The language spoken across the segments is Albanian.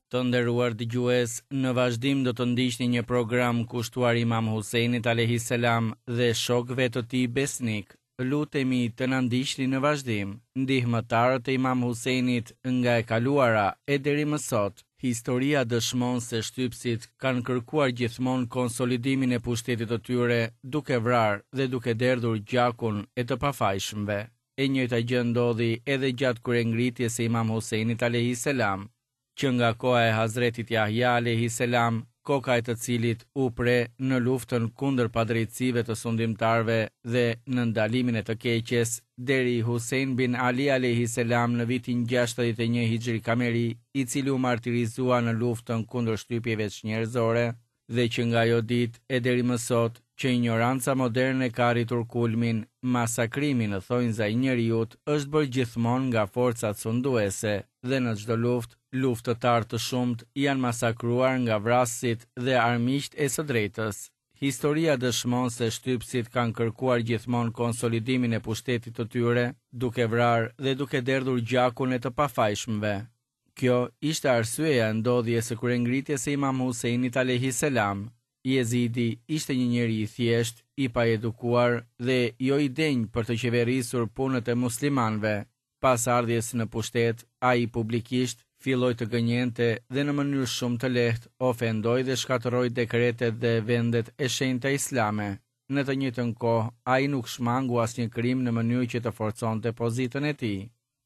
Të nderuar dëgjues, në vazhdim do të ndiqni një program kushtuar Imam Husejnit alejhi selam dhe shokëve të tij besnikë. Lutemi të na ndiqni në vazhdim, ndihmëtarët e Imam Husejnit nga e kaluara e deri më sot. Historia dëshmon se shtypësit kanë kërkuar gjithmonë konsolidimin e pushtetit të tyre duke vrarë dhe duke derdhur gjakun e të pafajshmëve. E njëjta gjë ndodhi edhe gjatë kryengritjes së Imam Husejnit alejhi selam. Që nga koha e Hazretit Jahja alejhi selam, koka e të cilit u pre në luftën kundër padrejtësive të sundimtarëve dhe në ndalimin e të keqes, deri Husejn bin Ali alejhi selam në vitin 61 Hixhri Kameri, i cili u martirizua në luftën kundër shtypjeve çnjerëzore, Dhe që nga ajo ditë e deri më sot, që injoranca moderne ka arritur kulmin, masakrimi në thonjza i njeriut është bërë gjithmonë nga forcat sunduese dhe në çdo luftë, luftëtarë të shumtë janë masakruar nga vrasësit dhe armiqtë e së drejtës. Historia dëshmon se shtypësit kanë kërkuar gjithmonë konsolidimin e pushtetit të tyre, duke vrarë dhe duke derdhur gjakun e të pafajshmëve. Kjo ishte arsyeja e ndodhjes së kryengritjes së Imam Husejnit alejhi selam. Jezidi ishte një njeri i thjeshtë, i paedukuar dhe jo i denjë për të qeverisur punët e muslimanëve. Pas ardhjes në pushtet, ai publikisht filloi të gënjente dhe në mënyrë shumë të lehtë ofendoi dhe shkatërroi dekretet dhe vendet e shenjta islame. Në të njëjtën kohë, ai nuk shmangu asnjë krim në mënyrë që të forconte pozitën e tij.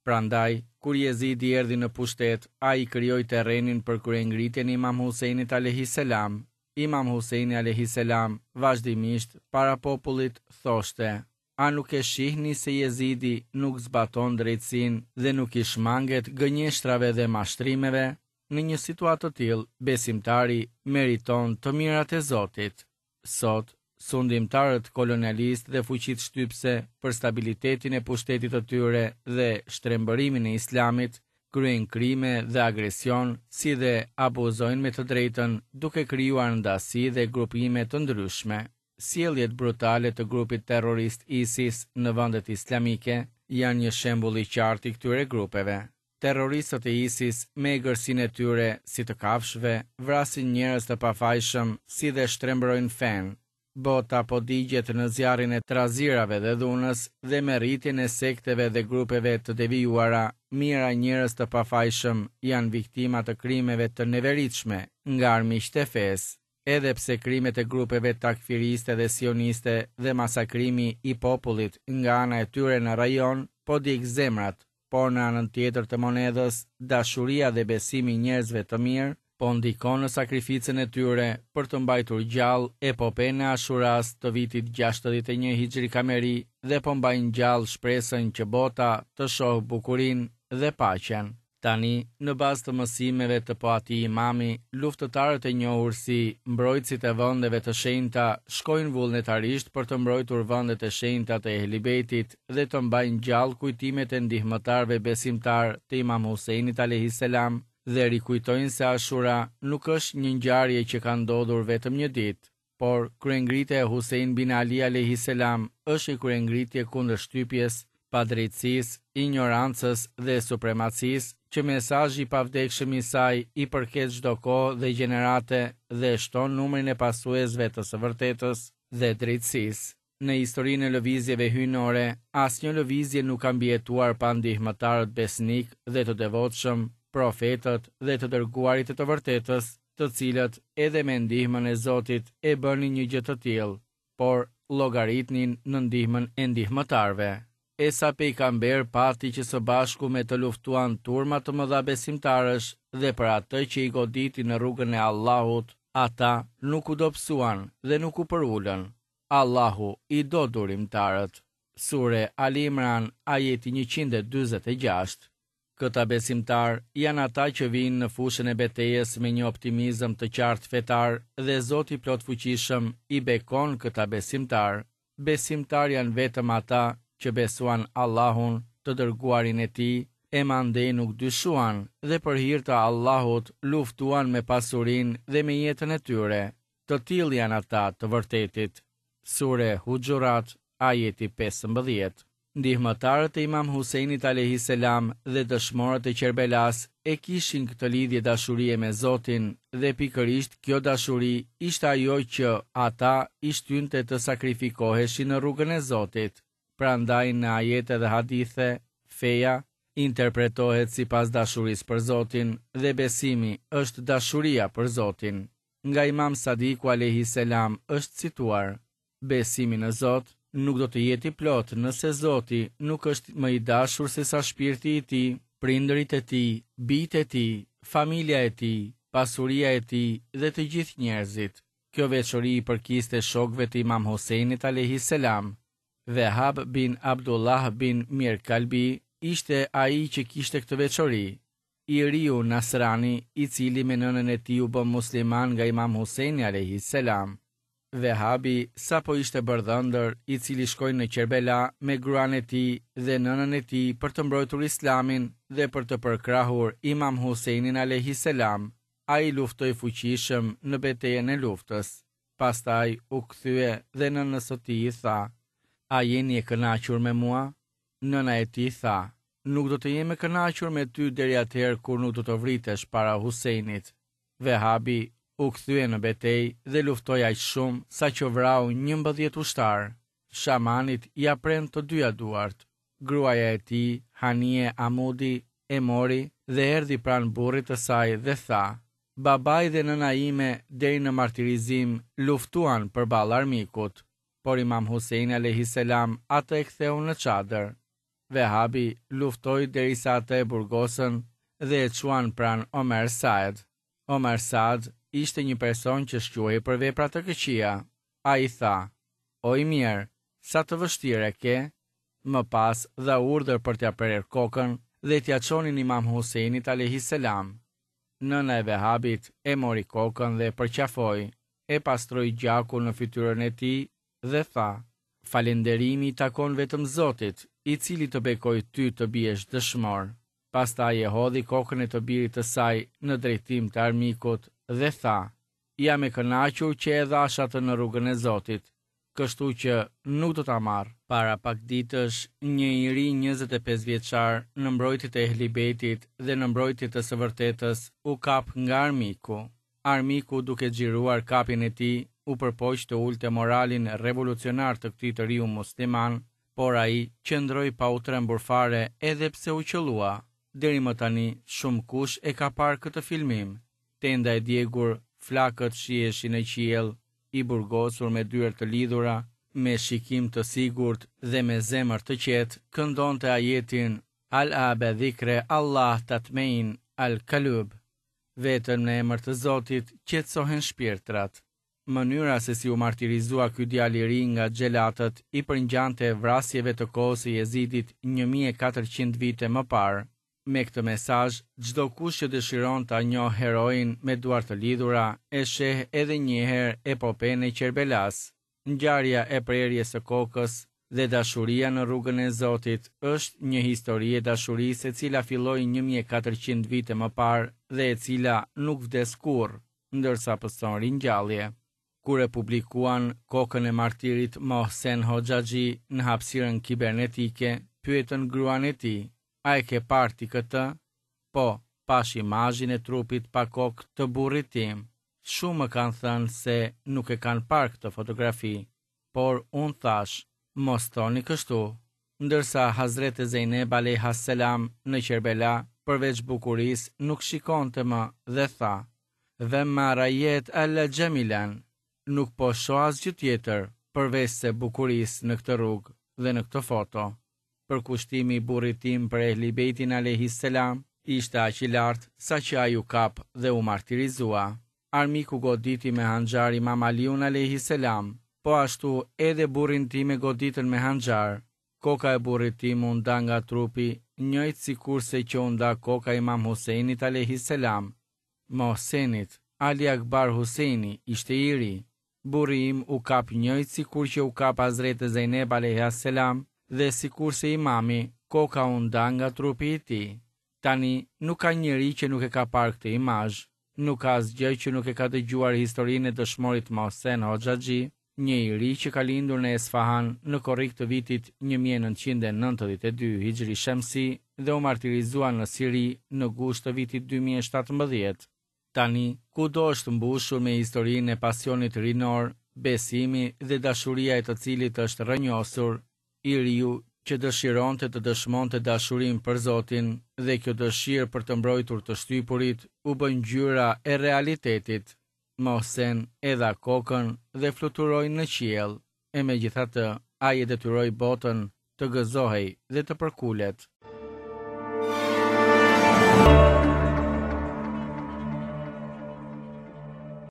Prandaj, kur Jezidi erdhi në pushtet, ai krijoi terrenin për kryengritjen e Imam Husejnit alejhi selam. Imam Husejni alejhi selam vazhdimisht para popullit thoshte, A nuk e shihni se Jezidi nuk zbaton drejtësinë dhe nuk i shmanget gënjeshtrave dhe mashtrimeve? Në një situatë të tillë, besimtari meriton të mirat e Zotit. Sot, sundimtarët kolonialistë dhe fuqitë shtypëse për stabilitetin e pushtetit të tyre dhe shtrembërimin e Islamit, kryejnë krime dhe agresion, si dhe abuzojnë me të drejtën duke krijuar ndasi dhe grupime të ndryshme. Sjelljet brutale të grupit terrorist ISIS në vendet islamike janë një shembull i qartë i këtyre grupeve. Terroristët e ISIS me egërsinë e tyre si të kafshëve, vrasin njerëz të pafajshëm si dhe shtrembërojnë fenë. Bota po digjet në zjarrin e trazirave dhe dhunës dhe me rritjen e sekteve dhe grupeve të devijuara, mijëra njerëz të pafajshëm janë viktima të krimeve të neveritshme nga armiqtë e fesë. Edhe pse krimet e grupeve takfiriste dhe sioniste dhe masakrimi i popullit nga ana e tyre në rajon po djeg zemrat, por në anën tjetër të monedhës, dashuria dhe besimi i njerëzve të mirë po ndikon në sakrificën e tyre për të mbajtur gjallë epopenë e Ashuras të vitit 61 Hixhri Kameri dhe po mbajnë gjallë shpresën që bota të shohë bukurinë dhe paqen. Tani, në bazë të mësimeve të po atij imami, luftëtarët e njohur si mbrojtësit e vendeve të shenjta shkojnë vullnetarisht për të mbrojtur vendet e shenjta të Ehli Bejtit dhe të mbajnë gjallë kujtimet e ndihmëtarëve besimtarë të Imam Husejnit alejhi selam dhe rikujtojnë se Ashura nuk është një ngjarje që ka ndodhur vetëm një ditë. Por, kryengritja e Husein bin Ali alejhi selam është një kryengritje kundër shtypjes, padrejtësisë, injorancës dhe supremacisë, që mesazhi i pavdekshëm i saj i përket çdo kohe dhe gjenerate dhe shton numrin e pasuesve të së vërtetës dhe drejtësisë. Në historinë e lëvizjeve hyjnore, asnjë lëvizje nuk ka mbijetuar pa ndihmëtarët besnikë dhe të devotshëm, profetët dhe të dërguarit e të vërtetës, të cilët edhe me ndihmën e Zotit e bënin një gjë të tillë, por llogaritnin në ndihmën e ndihmëtarëve. E sa pejgamberë pati që së bashku me të luftuan turma të mëdha besimtarësh dhe për atë që i goditi në rrugën e Allahut, ata nuk u dobësuan dhe nuk u përulën. Allahu i do durimtarët. Sure Ali Imran, ajeti 146. Këta besimtarë janë ata që vijnë në fushën e betejës me një optimizëm të qartë fetar dhe Zoti i Plotfuqishëm i bekon këta besimtarë. Besimtarë janë vetëm ata që besuan Allahun, të dërguarin e Tij, e mandej nuk dyshuan dhe për hir të Allahut luftuan me pasurinë dhe me jetën e tyre. Të tillë janë ata të vërtetit. Sure Huxhurat, ajeti 15. Ndihmëtarët e Imam Husejnit alejhi selam dhe dëshmorët e Qerbelasë e kishin këtë lidhje dashurie me Zotin dhe pikërisht kjo dashuri ishte ajo që ata i shtynte të sakrifikoheshin në rrugën e Zotit. Prandaj në ajete dhe hadithe, feja interpretohet sipas dashurisë për Zotin dhe besimi është dashuria për Zotin. Nga Imam Sadiku alejhi selam është cituar, Besimi në Zot nuk do të jetë i plotë nëse Zoti nuk është më i dashur sesa shpirti i tij, prindërit e tij, bijtë e tij, familja e tij, pasuria e tij dhe të gjithë njerëzit. Kjo veçori i përkiste shokëve të Imam Husejnit alejhi selam. Vehab bin Abdullah bin Mirkalbi ishte ai që kishte këtë veçori. I riu Nasrani, i cili me nënën e tij u bë musliman nga Imam Husejni alejhi selam. Vehabi sapo ishte bërë dhëndër, i cili shkoi në Qerbela me gruan e tij dhe nënën e tij për të mbrojtur Islamin dhe për të përkrahur Imam Husejnin alejhi selam. Ai luftoi fuqishëm në betejën e luftës. Pastaj u kthye dhe nënës së tij i tha, A jeni e kënaqur me mua? Nëna e tij tha, Nuk do të jem e kënaqur me ty deri atëherë kur nuk do të vritesh para Husejnit. Vehabi u kthye në betejë dhe luftoi aq shumë sa që vrau 11 ushtarë. Shamanit ia prenë të dyja duart. Gruaja e tij, Hanie Amudi, e mori dhe erdhi pranë burrit të saj dhe tha, Babai dhe nëna ime deri në martirizim luftuan përballë armikut, por Imam Husejni alejhi selam atë e ktheu në çadër. Vehabi luftoi derisa atë e burgosën dhe e çuan pranë Omer Saad. Omer Saad ishte një person që shquhej për vepra të këqija. Ai tha, O i mjerë, sa të vështirë e ke? Më pas dha urdhër për t'ia prerë kokën dhe t'ia çonin Imam Husejnit alejhi selam. Nëna e Vehabit e mori kokën dhe e përqafoi, e pastroi gjakun në fytyrën e tij dhe tha, Falënderimi i takon vetëm Zotit, i cili të bekoi ty të biesh dëshmor. Pastaj e hodhi kokën e të birit të saj në drejtim të armikut dhe tha, Jam e kënaqur që e dhashë atë në rrugën e Zotit, kështu që nuk do ta marr. Para pak ditësh, një i ri 25 vjeçar në mbrojtje të Ehli Bejtit dhe në mbrojtje të së vërtetës u kap nga armiku. Armiku duke xhiruar kapjen e tij, u përpoq të ulte moralin revolucionar të këtij të riu musliman, por ai qëndroi pa u trembur fare edhe pse u qëllua. Deri më tani, shumëkush e ka parë këtë filmim. Tenda e djegur, flakët shiheshin në qiell, i burgosur me dyer të lidhura, me shikim të sigurt dhe me zemër të qetë, këndonte ajetin Ala be dhikri Allah tatmein al kalub. Vetëm në emër të Zotit qetësohen shpirtrat. Mënyra se si u martirizua ky djalë i ri nga xhelatët i përngjante vrasjeve të kohës së Jezidit 1400 vite më parë. Me këtë mesazh, çdokush që dëshiron ta njohë heroin me duar të lidhura, e sheh edhe një herë epopenë e Qerbelasë. Ngjarja e prerjes së kokës dhe dashuria në rrugën e Zotit është një histori e dashurisë e cila filloi 1400 vite më parë dhe e cila nuk vdes kurrë, ndërsa pëson ringjallje. Kur e publikuan kokën e martirit Mohsen Hoxhaxhi në hapësirën kibernetike, pyetën gruan e tij, a e ke parë ti këtë? Po, pashë imazhin e trupit pa kokë të burrit tim. Shumë më kanë thënë se nuk e kanë parë këtë fotografi, por unë thashë, mos thoni kështu. Ndërsa Hazrete Zejneb alejha selam në Qerbela, përveç bukurisë nuk shikonte më dhe tha, Ve ma rajet ella xhemilen, nuk po shoh asgjë tjetër përveç se bukurisë në këtë rrugë dhe në këtë foto. Përkushtimi i burrit tim për Ehli Bejtin alejhi selam ishte aq i lartë sa që ai u kap dhe u martirizua. Armiku goditi me hanxhar Imam Aliun alejhi selam. Po ashtu edhe burrin tim e goditën me hanxhar. Koka e burrit tim u nda nga trupi, njëjtë sikurse që u nda koka e Imam Husejnit alejhi selam. Mohsenit, Ali Akbar Husejni ishte i ri. Burri im u kap njëjtë sikur që u kap Hazrete Zejneb alejha selam dhe sikurse Imami, koka u nda nga trupi i tij. Tani, nuk ka njeri që nuk e ka parë këtë imazh. Nuk ka asgjë që nuk e ka dëgjuar historinë e dëshmorit Mohsen Hoxhaxhi. Një i ri që ka lindur në Esfahan në korrik të vitit 1992 Hixhri Shemsi dhe u martirizua në Siri në gusht të vitit 2017. Tani, kudo është mbushur me historinë e pasionit rinor, besimi dhe dashuria e të cilit është rrënjosur, i riu që dëshironte të dëshmonte dashurinë për Zotin dhe kjo dëshirë për të mbrojtur të shtypurit u bë ngjyra e realitetit. Mohsen e dha kokën dhe fluturoi në qiell, e megjithatë ai e detyroi botën të gëzohej dhe të përkulet.